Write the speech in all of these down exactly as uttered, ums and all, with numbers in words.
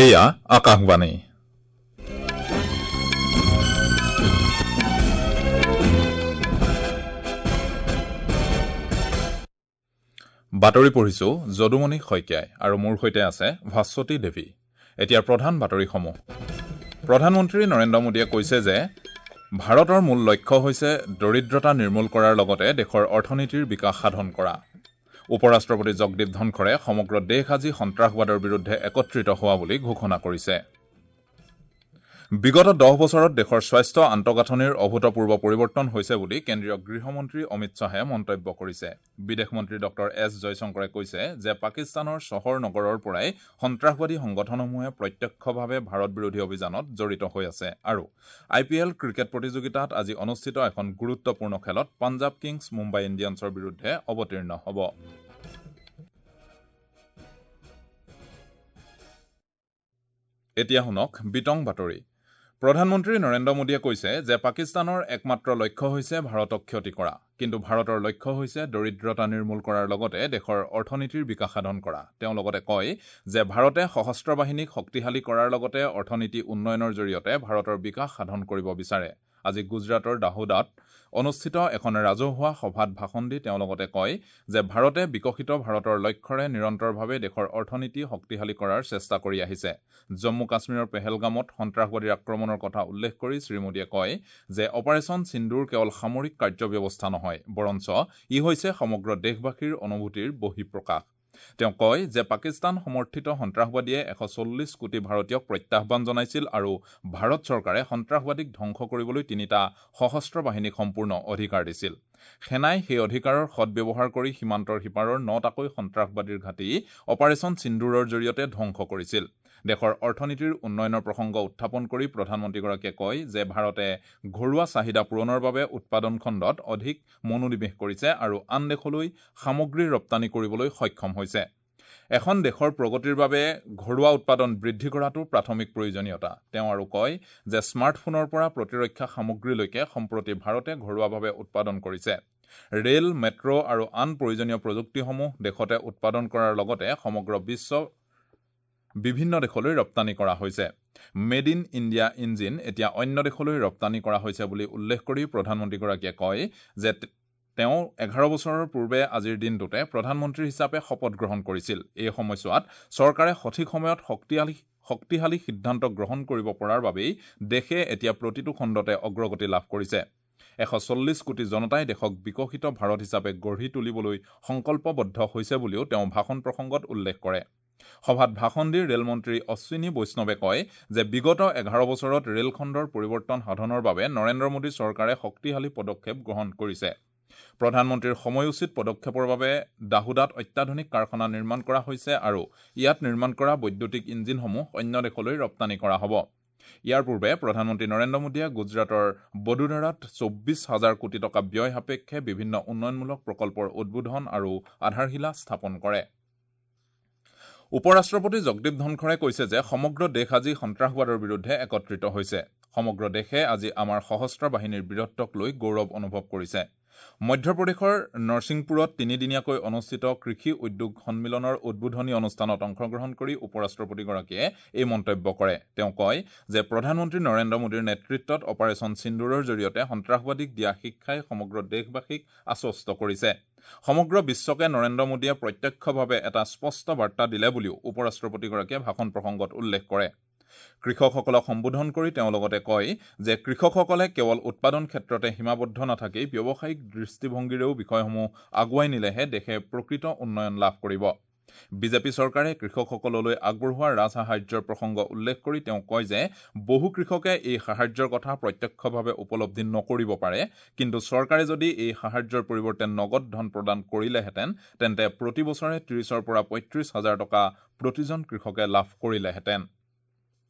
এয়া আকাশবাণী। বাতৰি পঢ়িছো যদুমণি শইকীয়াই আৰু মোৰ সৈতে আছে ভাস্বতী দেৱী। এতিয়া প্ৰধান বাতৰিসমূহ। প্ৰধানমন্ত্ৰী নৰেন্দ্ৰ মোদীয়ে কৈছে যে ভাৰতৰ মূল লক্ষ্য হৈছে দৰিদ্ৰতা নিৰ্মূল কৰাৰ লগতে দেশৰ অৰ্থনীতিৰ বিকাশ সাধন কৰা। উপৰাষ্ট্ৰপতি জগদীপ ধনখৰে সমগ্ৰ দেশ আজি সন্ত্ৰাসবাদৰ বিৰুদ্ধে একত্ৰিত হোৱা বুলি ঘোষণা কৰিছে। বিগত দহ বছৰত দেশৰ স্বাস্থ্য আন্তঃগাঁথনিৰ অভূতপূৰ্ব পৰিৱৰ্তন হৈছে বুলি কেন্দ্ৰীয় গৃহমন্ত্ৰী অমিত শ্বাহে মন্তব্য কৰিছে। বিদেশ মন্ত্ৰী ডক্টৰ এছ জয়শংকৰে কৈছে যে পাকিস্তানৰ চহৰ নগৰৰ পৰাই সন্ত্ৰাসবাদী সংগঠনসমূহে প্ৰত্যক্ষভাৱে ভাৰত বিৰোধী অভিযানত জড়িত হৈ আছে। আৰু আই পি এল ক্ৰিকেট প্ৰতিযোগিতাত আজি অনুষ্ঠিত এখন গুৰুত্বপূৰ্ণ খেলত পাঞ্জাৱ কিংছ মুম্বাই ইণ্ডিয়ানছৰ বিৰুদ্ধে অৱতীৰ্ণ হ'ব। এতিয়া শুনক বিতং বাতৰি। প্ৰধানমন্ত্ৰী নৰেন্দ্ৰ মোদীয়ে কৈছে যে পাকিস্তানৰ একমাত্ৰ লক্ষ্য হৈছে ভাৰতক ক্ষতি কৰা, কিন্তু ভাৰতৰ লক্ষ্য হৈছে দৰিদ্ৰতা নিৰ্মূল কৰাৰ লগতে দেশৰ অৰ্থনীতিৰ বিকাশ সাধন কৰা। তেওঁ লগতে কয় যে ভাৰতে সশস্ত্ৰ বাহিনীক শক্তিশালী কৰাৰ লগতে অৰ্থনীতি উন্নয়নৰ জৰিয়তে ভাৰতৰ বিকাশ সাধন কৰিব বিচাৰে। আজি গুজৰাটৰ দাহোদাত অনুষ্ঠিত এখন ৰাজহুৱা সভাত ভাষণ দি তেওঁ লগতে কয় যে ভাৰতে বিকশিত ভাৰতৰ লক্ষ্যৰে নিৰন্তৰভাৱে দেশৰ অৰ্থনীতি শক্তিশালী কৰাৰ চেষ্টা কৰি আহিছে। জম্মু কাশ্মীৰৰ পেহেলগামত সন্ত্ৰাসবাদীৰ আক্ৰমণৰ কথা উল্লেখ কৰি শ্ৰীমোদীয়ে কয় যে অপাৰেচন সিন্দুৰ কেৱল সামৰিক কাৰ্যব্যৱস্থা নহয়, বৰঞ্চ ই হৈছে সমগ্ৰ দেশবাসীৰ অনুভূতিৰ বহিঃপ্ৰকাশ। তেওঁ কয় যে পাকিস্তান সমৰ্থিত সন্ত্ৰাসবাদীয়ে এশ চল্লিছ কোটি ভাৰতীয়ক প্ৰত্যাহ্বান জনাইছিল আৰু ভাৰত চৰকাৰে সন্ত্ৰাসবাদীক ধ্বংস কৰিবলৈ তিনিটা সশস্ত্ৰ বাহিনীক সম্পূৰ্ণ অধিকাৰ দিছিল। সেনাই সেই অধিকাৰৰ সদ্ব্যৱহাৰ কৰি সীমান্তৰ সিপাৰৰ নটাকৈ সন্ত্ৰাসবাদীৰ ঘাটি অপাৰেচন সিন্দুৰৰ জৰিয়তে ধ্বংস কৰিছিল। দেশৰ অৰ্থনীতিৰ উন্নয়নৰ প্ৰসংগ উত্থাপন কৰি প্ৰধানমন্ত্ৰীগৰাকীয়ে কয় যে ভাৰতে ঘৰুৱা চাহিদা পূৰণৰ বাবে উৎপাদন খণ্ডত অধিক মনোনিৱেশ কৰিছে আৰু আন দেশলৈ সামগ্ৰী ৰপ্তানি কৰিবলৈ সক্ষম হৈছে। এখন দেশৰ প্ৰগতিৰ বাবে ঘৰুৱা উৎপাদন বৃদ্ধি কৰাটো প্ৰাথমিক প্ৰয়োজনীয়তা। তেওঁ আৰু কয় যে স্মাৰ্টফোনৰ পৰা প্ৰতিৰক্ষা সামগ্ৰীলৈকে সম্প্ৰতি ভাৰতে ঘৰুৱাভাৱে উৎপাদন কৰিছে। ৰেল, মেট্ৰ' আৰু আন প্ৰয়োজনীয় প্ৰযুক্তিসমূহ দেশতে উৎপাদন কৰাৰ লগতে সমগ্ৰ বিশ্ব বিভিন্ন দেশলৈ ৰপ্তানি কৰা হৈছে। মেড ইন ইণ্ডিয়া ইঞ্জিন এতিয়া অন্য দেশলৈ ৰপ্তানি কৰা হৈছে বুলি উল্লেখ কৰি প্ৰধানমন্ত্ৰীগৰাকীয়ে কয় যে তেওঁ এঘাৰ বছৰৰ পূৰ্বে আজিৰ দিনটোতে প্ৰধানমন্ত্ৰী হিচাপে শপত গ্ৰহণ কৰিছিল। এই সময়ছোৱাত চৰকাৰে সঠিক সময়ত শক্তিশালী শক্তিশালী সিদ্ধান্ত গ্ৰহণ কৰিব পৰাৰ বাবেই দেশে এতিয়া প্ৰতিটো খণ্ডতে অগ্ৰগতি লাভ কৰিছে। এশ চল্লিছ কোটি জনতাই দেশক বিকশিত ভাৰত হিচাপে গঢ়ি তুলিবলৈ সংকল্পবদ্ধ হৈছে বুলিও তেওঁ ভাষণ প্ৰসংগত উল্লেখ কৰে। সভাত ভাষণ দি ৰেলমন্ত্ৰী অশ্বিনী বৈষ্ণৱে কয় যে বিগত এঘাৰ বছৰত ৰেলখণ্ডৰ পৰিৱৰ্তন সাধনৰ বাবে নৰেন্দ্ৰ মোদী চৰকাৰে শক্তিশালী পদক্ষেপ গ্ৰহণ কৰিছে। প্ৰধানমন্ত্ৰীৰ সময়োচিত পদক্ষেপৰ বাবে দাহোদাত অত্যাধুনিক কাৰখানা নিৰ্মাণ কৰা হৈছে আৰু ইয়াত নিৰ্মাণ কৰা বৈদ্যুতিক ইঞ্জিনসমূহ অন্য দেশলৈ ৰপ্তানি কৰা হ'ব। ইয়াৰ পূৰ্বে প্ৰধানমন্ত্ৰী নৰেন্দ্ৰ মোদীয়ে গুজৰাটৰ বদোদৰাত চৌব্বিছ হাজাৰ কোটি টকা ব্যয় সাপেক্ষে বিভিন্ন উন্নয়নমূলক প্ৰকল্পৰ উদ্বোধন আৰু আধাৰশিলা স্থাপন কৰে। উপৰাষ্ট্ৰপতি জগদীপ ধনখৰে কৈছে যে সমগ্ৰ দেশ আজি সন্ত্ৰাসবাদৰ বিৰুদ্ধে একত্ৰিত হৈছে। সমগ্ৰ দেশে আজি আমাৰ সশস্ত্ৰ বাহিনীৰ বীৰত্বক লৈ গৌৰৱ অনুভৱ কৰিছে। মধ্যপ্ৰদেশৰ নৰসিংপুৰত তিনিদিনীয়াকৈ অনুষ্ঠিত কৃষি উদ্যোগ সন্মিলনৰ উদ্বোধনী অনুষ্ঠানত অংশগ্ৰহণ কৰি উপৰাষ্ট্ৰপতিগৰাকীয়ে এই মন্তব্য কৰে। তেওঁ কয় যে প্ৰধানমন্ত্ৰী নৰেন্দ্ৰ মোদীৰ নেতৃত্বত অপাৰেচন সিন্দুৰৰ জৰিয়তে সন্ত্ৰাসবাদীক দিয়া শিক্ষাই সমগ্ৰ দেশবাসীক আশ্বস্ত কৰিছে। সমগ্ৰ বিশ্বকে নৰেন্দ্ৰ মোদীয়ে প্ৰত্যক্ষভাৱে এটা স্পষ্ট বাৰ্তা দিলে বুলিও উপৰাষ্ট্ৰপতিগৰাকীয়ে ভাষণ প্ৰসংগত উল্লেখ কৰে। কৃষকসকলক সম্বোধন কৰি তেওঁ লগতে কয় যে কৃষকসকলে কেৱল উৎপাদন ক্ষেত্ৰতে সীমাবদ্ধ নাথাকি ব্যৱসায়িক দৃষ্টিভংগীৰেও বিষয়সমূহ আগুৱাই নিলেহে দেশে প্ৰকৃত উন্নয়ন লাভ কৰিব। বিজেপি চৰকাৰে কৃষকসকললৈ আগবঢ়োৱা ৰাজসাহায্যৰ প্ৰসংগ উল্লেখ কৰি তেওঁ কয় যে বহু কৃষকে এই সাহায্যৰ কথা প্ৰত্যক্ষভাৱে উপলব্ধি নকৰিব পাৰে, কিন্তু চৰকাৰে যদি এই সাহায্যৰ পৰিৱৰ্তে নগদ ধন প্ৰদান কৰিলেহেঁতেন তেন্তে প্ৰতি বছৰে ত্ৰিছৰ পৰা পঁয়ত্ৰিছ হাজাৰ টকা প্ৰতিজন কৃষকে লাভ কৰিলেহেঁতেন।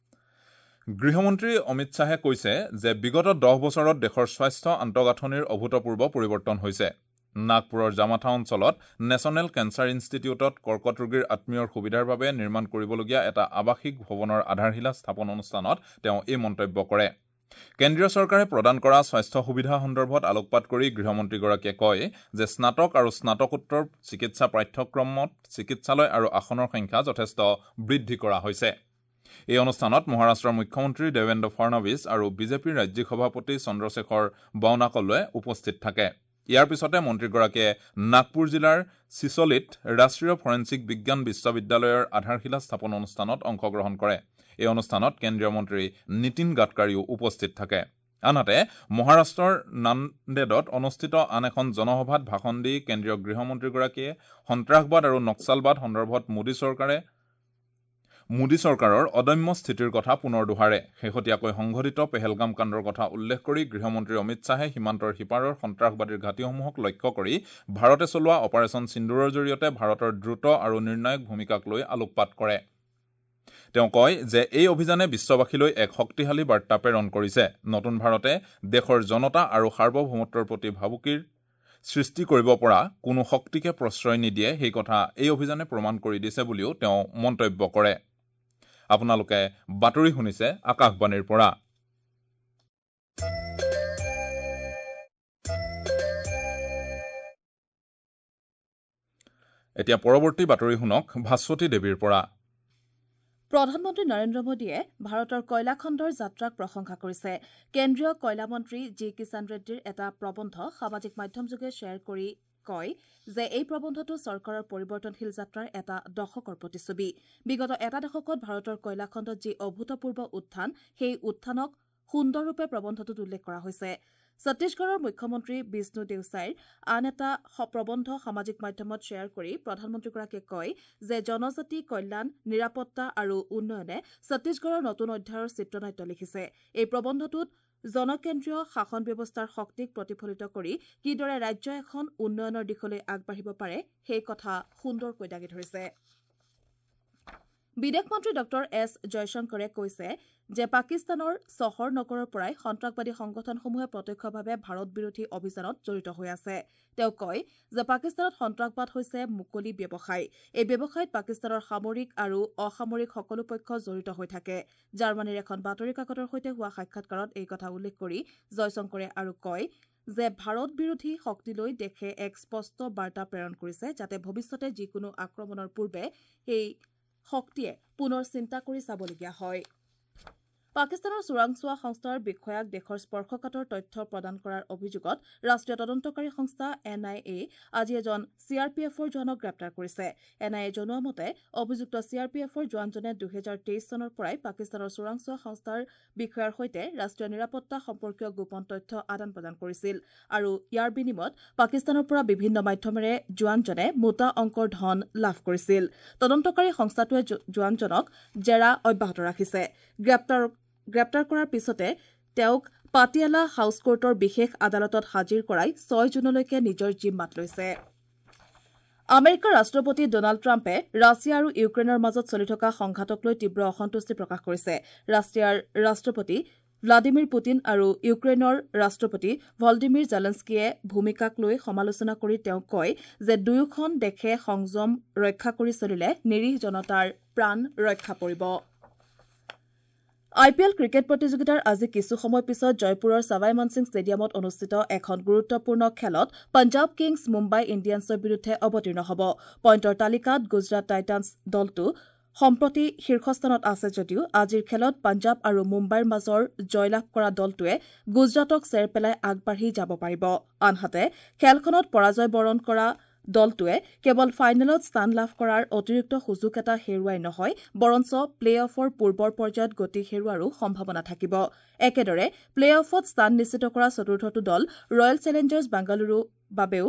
গৃহমন্ত্ৰী অমিত শ্বাহে কৈছে যে বিগত দহ বছৰত দেশৰ স্বাস্থ্য আন্তঃগাঁথনিৰ অভূতপূৰ্ব পৰিৱৰ্তন হৈছে। নাগপুৰৰ জামাথা অঞ্চলত নেশ্যনেল কেঞ্চাৰ ইনষ্টিটিউটত কৰ্কট ৰোগীৰ আত্মীয়ৰ সুবিধাৰ বাবে নিৰ্মাণ কৰিবলগীয়া এটা আৱাসিক ভৱনৰ আধাৰশিলা স্থাপন অনুষ্ঠানত তেওঁ এই মন্তব্য কৰে। কেন্দ্ৰীয় চৰকাৰে প্ৰদান কৰা স্বাস্থ্য সুবিধা সন্দৰ্ভত আলোকপাত কৰি গৃহমন্ত্ৰীগৰাকীয়ে কয় যে স্নাতক আৰু স্নাতকোত্তৰ চিকিৎসা পাঠ্যক্ৰমত চিকিৎসালয় আৰু আসনৰ সংখ্যা যথেষ্ট বৃদ্ধি কৰা হৈছে। এই অনুষ্ঠানত মহাৰাষ্ট্ৰৰ মুখ্যমন্ত্ৰী দেৱেন্দ্ৰ ফাড়নাভিছ আৰু বিজেপিৰ ৰাজ্যিক সভাপতি চন্দ্ৰশেখৰ বাওনাকলৱে উপস্থিত থাকে। ইয়াৰ পিছতে মন্ত্ৰীগৰাকীয়ে নাগপুৰ জিলাৰ চিচলিত ৰাষ্ট্ৰীয় ফৰেনছিক বিজ্ঞান বিশ্ববিদ্যালয়ৰ আধাৰশিলা স্থাপন অনুষ্ঠানত অংশগ্ৰহণ কৰে। এই অনুষ্ঠানত কেন্দ্ৰীয় মন্ত্ৰী নীতিন গাডকাৰীও উপস্থিত থাকে। আনহাতে মহাৰাষ্ট্ৰৰ নান্দেদত অনুষ্ঠিত আন এখন জনসভাত ভাষণ দি কেন্দ্ৰীয় গৃহমন্ত্ৰীগৰাকীয়ে সন্ত্ৰাসবাদ আৰু নক্সালবাদ সন্দৰ্ভত মোদী চৰকাৰে মোদী চৰকাৰৰ অদম্য স্থিতিৰ কথা পুনৰ দোহাৰে। শেহতীয়াকৈ সংঘটিত পেহেলগাম কাণ্ডৰ কথা উল্লেখ কৰি গৃহমন্ত্ৰী অমিত শ্বাহে সীমান্তৰ সিপাৰৰ সন্ত্ৰাসবাদীৰ ঘাটিসমূহক লক্ষ্য কৰি ভাৰতে চলোৱা অপাৰেচন সিন্দুৰৰ জৰিয়তে ভাৰতৰ দ্ৰুত আৰু নিৰ্ণায়ক ভূমিকাক লৈ আলোকপাত কৰে। তেওঁ কয় যে এই অভিযানে বিশ্ববাসীলৈ এক শক্তিশালী বাৰ্তা প্ৰেৰণ কৰিছে। নতুন ভাৰতে দেশৰ জনতা আৰু সাৰ্বভৌমত্বৰ প্ৰতি ভাবুকিৰ সৃষ্টি কৰিব পৰা কোনো শক্তিকে প্ৰশ্ৰয় নিদিয়ে, সেই কথা এই অভিযানে প্ৰমাণ কৰি দিছে বুলিও তেওঁ মন্তব্য কৰে। আপোনালোকে বাতৰি শুনিছে আকাশবাণীৰ পৰা। এতিয়া পৰৱৰ্তী বাতৰি শুনক ভাস্বতী দেৱীৰ পৰা। প্ৰধানমন্ত্ৰী নৰেন্দ্ৰ মোদীয়ে ভাৰতৰ কয়লা খণ্ডৰ যাত্ৰাক প্ৰশংসা কৰিছে। কেন্দ্ৰীয় কয়লা মন্ত্ৰী জি কিষাণ ৰেড্ডীৰ এটা প্ৰবন্ধ সামাজিক মাধ্যমযোগে শ্বেয়াৰ কৰি কয় যে এই প্ৰবন্ধটো চৰকাৰৰ পৰিৱৰ্তনশীল যাত্ৰাৰ এটা দশকৰ প্ৰতিচ্ছবি। বিগত এটা দশকত ভাৰতৰ কয়লা খণ্ডত যি অভূতপূৰ্ব উত্থান, সেই উত্থানক সুন্দৰৰূপে প্ৰবন্ধটোত উল্লেখ কৰা হৈছে। ছত্তীশগড়ৰ মুখ্যমন্ত্ৰী বিষ্ণু দেওচাইৰ আন এটা প্ৰবন্ধ সামাজিক মাধ্যমত শ্বেয়াৰ কৰি প্ৰধানমন্ত্ৰীগৰাকীয়ে কয় যে জনজাতি কল্যাণ, নিৰাপত্তা আৰু উন্নয়নে ছত্তীশগড়ৰ নতুন অধ্যায়ৰ চিত্ৰনাট্য লিখিছে। এই প্ৰবন্ধটোত জনকেন্দ্ৰীয় শাসন ব্যৱস্থাৰ শক্তিক প্ৰতিফলিত কৰি কিদৰে ৰাজ্য এখন উন্নয়নৰ দিশলৈ আগবাঢ়িব পাৰে সেই কথা সুন্দৰকৈ দাঙি ধৰিছে। বিদেশ মন্ত্ৰী ডক্টৰ এছ জয়শংকৰে কৈছে যে পাকিস্তানৰ চহৰ নগৰৰ পৰাই সন্ত্ৰাসবাদী সংগঠনসমূহে প্ৰত্যক্ষভাৱে ভাৰত বিৰোধী অভিযানত জড়িত হৈ আছে। তেওঁ কয় যে পাকিস্তানত সন্ত্ৰাসবাদ হৈছে মুকলি ব্যৱসায়। এই ব্যৱসায়ত পাকিস্তানৰ সামৰিক আৰু অসামৰিক সকলো পক্ষ জড়িত হৈ থাকে। জাৰ্মানীৰ এখন বাতৰি কাকতৰ সৈতে হোৱা সাক্ষাৎকাৰত এই কথা উল্লেখ কৰি জয়শংকৰে আৰু কয় যে ভাৰত বিৰোধী শক্তিলৈ দেশে এক স্পষ্ট বাৰ্তা প্ৰেৰণ কৰিছে, যাতে ভৱিষ্যতে যিকোনো আক্ৰমণৰ পূৰ্বে সেই শক্তিয়ে পুনৰ চিন্তা কৰি চাবলগীয়া হয়। পাকিস্তানৰ চোৰাংচোৱা সংস্থাৰ বিষয়াক দেশৰ স্পৰ্শকাতৰ তথ্য প্ৰদান কৰাৰ অভিযোগত ৰাষ্ট্ৰীয় তদন্তকাৰী সংস্থা এন I A আজি এজন চি আৰ পি এফৰ জোৱানক গ্ৰেপ্তাৰ কৰিছে। এন I A জনোৱা মতে অভিযুক্ত চি আৰ পি এফৰ জোৱানজনে দুহেজাৰ তেইছ চনৰ পৰাই পাকিস্তানৰ চোৰাংচোৱা সংস্থাৰ বিষয়াৰ সৈতে ৰাষ্ট্ৰীয় নিৰাপত্তা সম্পৰ্কীয় গোপন তথ্য আদান প্ৰদান কৰিছিল আৰু ইয়াৰ বিনিময়ত পাকিস্তানৰ পৰা বিভিন্ন মাধ্যমেৰে জোৱানজনে মোটা অংকৰ ধন লাভ কৰিছিল। তদন্তকাৰী সংস্থাটোৱে জোৱানজনক জেৰা অব্যাহত ৰাখিছে। গ্ৰেপ্তাৰ গ্ৰেপ্তাৰ কৰাৰ পিছতে তেওঁক পাটিয়ালা হাউচ কোৰ্টৰ বিশেষ আদালতত হাজিৰ কৰাই ছয় জুনলৈকে নিজৰ জিম্মাত লৈছে। আমেৰিকাৰ ৰাষ্ট্ৰপতি ডনাল্ড ট্ৰাম্পে ৰাছিয়া আৰু ইউক্ৰেইনৰ মাজত চলি থকা সংঘাতক লৈ তীব্ৰ অসন্তুষ্টি প্ৰকাশ কৰিছে। ৰাছিয়াৰ ৰাষ্ট্ৰপতি ভ্লাদিমিৰ পুটিন আৰু ইউক্ৰেইনৰ ৰাষ্ট্ৰপতি ভলডিমিৰ জেলেনস্কিয়ে ভূমিকাক লৈ সমালোচনা কৰি তেওঁ কয় যে দুয়োখন দেশে সংযম ৰক্ষা কৰি চলিলে নিৰীহ জনতাৰ প্ৰাণ ৰক্ষা পৰিব। আই পি এল ক্ৰিকেট প্ৰতিযোগিতাৰ আজি কিছু সময় পিছত জয়পুৰৰ ছাৱাই মানসিং ষ্টেডিয়ামত অনুষ্ঠিত এখন গুৰুত্বপূৰ্ণ খেলত পঞ্জাৱ কিংছ মুম্বাই ইণ্ডিয়ানছৰ বিৰুদ্ধে অৱতীৰ্ণ হ'ব। পইণ্টৰ তালিকাত গুজৰাট টাইটানছ দলটো সম্প্ৰতি শীৰ্ষস্থানত আছে যদিও আজিৰ খেলত পঞ্জাৱ আৰু মুম্বাইৰ মাজৰ জয়লাভ কৰা দলটোৱে গুজৰাটক চেৰ পেলাই আগবাঢ়ি যাব পাৰিব। আনহাতে খেলখনত পৰাজয় বৰণ কৰা দলটোৱে কেৱল ফাইনেলত স্থান লাভ কৰাৰ অতিৰিক্ত সুযোগ এটা হেৰুৱাই নহয়, বৰঞ্চ প্লে অফৰ পূৰ্বৰ পৰ্যায়ত গতি হেৰুৱাৰো সম্ভাৱনা থাকিব। একেদৰে প্লে অফত স্থান নিশ্চিত কৰা চতুৰ্থটো দল ৰয়েল চেলেঞ্জাৰ্ছ বাংগালুৰুৰ বাবেও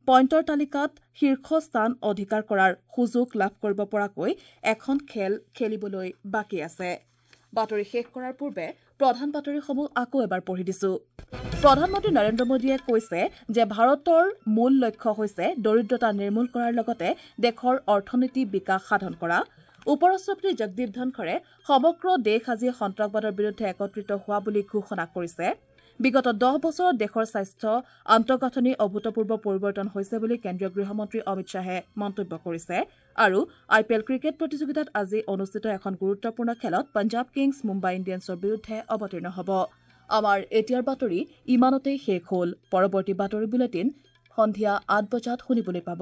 পইণ্টৰ তালিকাত শীৰ্ষ স্থান অধিকাৰ কৰাৰ সুযোগ লাভ কৰিব পৰাকৈ এখন খেল খেলিবলৈ বাকী আছে। বাতৰি শেষ কৰাৰ পূৰ্বে প্ৰধান বাতৰিসমূহ আকৌ এবাৰ পঢ়ি দিছো। প্ৰধানমন্ত্ৰী নৰেন্দ্ৰ মোদীয়ে কৈছে যে ভাৰতৰ মূল লক্ষ্য হৈছে দৰিদ্ৰতা নিৰ্মূল কৰাৰ লগতে দেশৰ অৰ্থনীতি বিকাশ সাধন কৰা। উপ-ৰাষ্ট্ৰপতি জগদীপ ধনখৰে সমগ্ৰ দেশ আজি সন্ত্ৰাসবাদৰ বিৰুদ্ধে একত্ৰিত হোৱা বুলি ঘোষণা কৰিছে। বিগত দহ বছৰত দেশৰ স্বাস্থ্য আন্তঃগাঁথনি অভূতপূৰ্ব পৰিৱৰ্তন হৈছে বুলি কেন্দ্ৰীয় গৃহমন্ত্ৰী অমিত শ্বাহে মন্তব্য কৰিছে। আৰু আই পি এল ক্ৰিকেট প্ৰতিযোগিতাত আজি অনুষ্ঠিত এখন গুৰুত্বপূৰ্ণ খেলত পঞ্জাৱ কিংছ মুম্বাই ইণ্ডিয়ানছৰ বিৰুদ্ধে অৱতীৰ্ণ হ'ব। আমাৰ এতিয়াৰ বাতৰি ইমানতেই শেষ হ'ল। পৰৱৰ্তী বাতৰি বুলেটিন সন্ধিয়া আঠ বজাত শুনিবলৈ পাব।